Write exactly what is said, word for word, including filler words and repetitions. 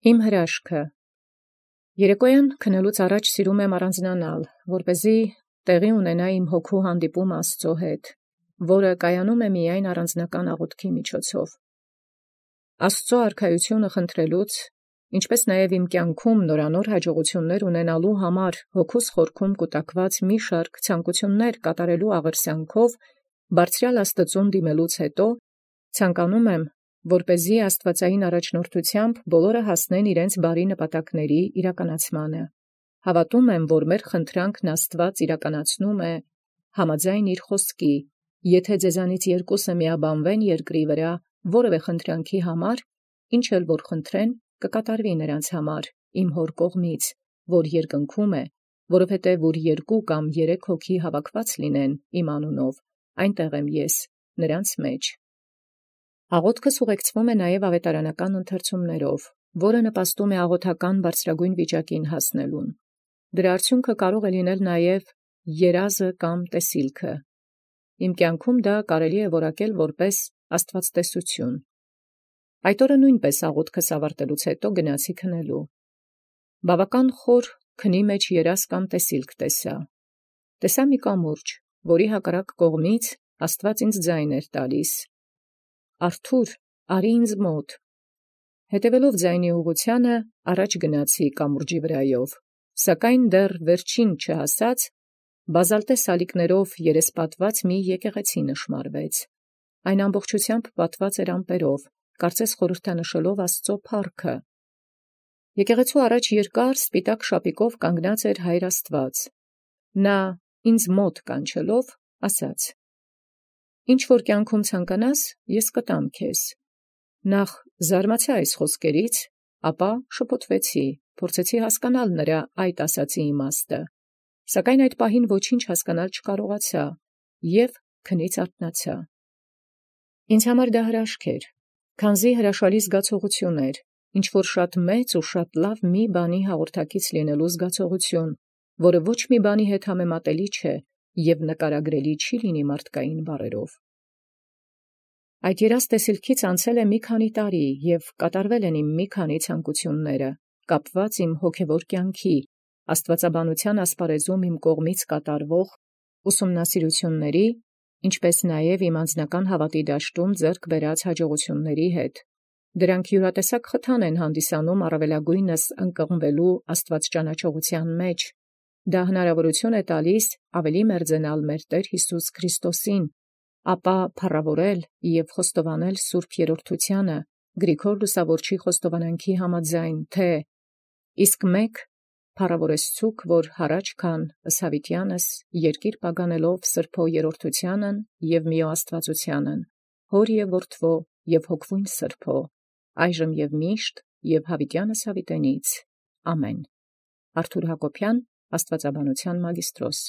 Իմ հրաշքը երեկոյան քնելուց առաջ սիրում եմ առանձնանալ, որպեսզի տեղի ունենա իմ հոգու հանդիպում Աստծո հետ, որը կայանում է միայն առանձնական աղոթքի միջոցով։ Աստծո արքայությունը խնդրելուց, ինչպես նաև իմ կյանքում նորանոր հաջողություններ ունենալու համար հոգուս խորքում կուտակված մի շարք ցանկություններ կատարելու աղերսյանքով բարձրյալ Աստծուն դիմելուց հետո ցանկանում եմ, որպեսզի աստվածային առաջնորդությամբ բոլորը հասնեն իրենց բարի նպատակների իրականացմանը։ Հավատում եմ, որ մեր խնդրանքն Աստված իրականացնում է համաձայն իր խոսքի, եթե ձեզանից երկուսը միաբանվեն երկրի վրա որևէ խնդրանքի համար, ինչ էլ որ խնդրեն, կկատարվի նրանց համար իմ հոր կողմից, որ երկնքում է, որովհետև որ երկու կամ երեք հոգի հավաքված լինեն իմ անունով, այնտեղ եմ ես նրանց մեջ։ Աղոթքս ուղեկցվում է նաև ավետարանական ընթերցումներով, որը նպաստում է աղոթական բարձրագույն վիճակին հասնելուն։ Դրա արդյունքը կարող է լինել նաև երազը կամ տեսիլքը։ Իմ կյանքում դա կարելի է որակել որպես աստվածտեսություն։ Այդ օրը նույնպես աղոթքս ավարտելուց հետո գնացի քնելու։ Բավական խոր քնի մեջ երազ կամ տեսիլք տեսա։ Տեսա մի կամուրջ, որի հակառակ կողմից Աստված ինձ ձայն էր տալիս. «Արթուր, արի ինձ մոտ»։ Հետևելով ձայնի ուղղությանը առաջ գնացի կամուրջի վրայով, սակայն դեռ վերջին չհասած, բազալտե սալիկներով երեսպատված մի եկեղեցի նշմարվեց։ Այն ամբողջությամբ պատված էր ամպերով, կարծես խորհրդանշելով Աստծո փառքը։ Եկեղեցու առաջ երկար սպիտակ շապիկով կանգնած էր Հայր Աստված։ Նա ինձ մոտ կանչելով ասաց. «Ինչ որ կյանքում ցանկանաս, ես կտամ քեզ»։ Նախ զարմացա այս խոսքերից, ապա շփոթվեցի, փորձեցի հասկանալ նրա այդ ասացի իմաստը, սակայն այդ պահին ոչինչ հասկանալ չկարողացա և քնից արթնացա։ Ինձ համար դա հրաշք էր, քանզի հրաշալի զգացողություն էր, ինչ որ շատ մեծ ու շատ լավ մի բանի հաղորդակից լինելու զգացողություն, որը ոչ մի բանի հետ համեմատելի չէ և նկարագրելի չի լինի մարդկային բառերով։ Այդ երազ տեսիլքից անցել է մի քանի տարի և կատարվել են իմ մի քանի ցանկությունները, կապված իմ հոգևոր կյանքի, աստվածաբանության ասպարեզում իմ կողմից կատարվող ուսումնասիրությունների, ինչպես նաև իմ անձնական հավատի դաշտում ձեռք բերած հաջողությունների հետ։ Դրանք յուրատեսակ խթան են հանդիսանում առավելագույնս ընկղմվելու աստվածճանաչողության մեջ։ Դա հնարավորություն է տալիս ավելի մերձենալ մեր Տեր Հիսուս Քրիստոսին, ապա փառաւորել և խոստովանել Սուրբ Երրորդությանը, Գրիգոր Լուսավորչի խոստովանանքի համաձայն, թե «Իսկ մեկ փառաւորես ցուք, որ հառաջ քան ըսհավիտյանս երկիր պագանելով Սրբոյ Երրորդությանն և միոաստվածությանն, Հոր և Որդվո և Հոգվույն Սրբո, այժմ և միշտ և յաւիտյանս յաւիտենից. ամեն»։ Արթուր Հակոբյան, աստվածաբանության մագիստրոս։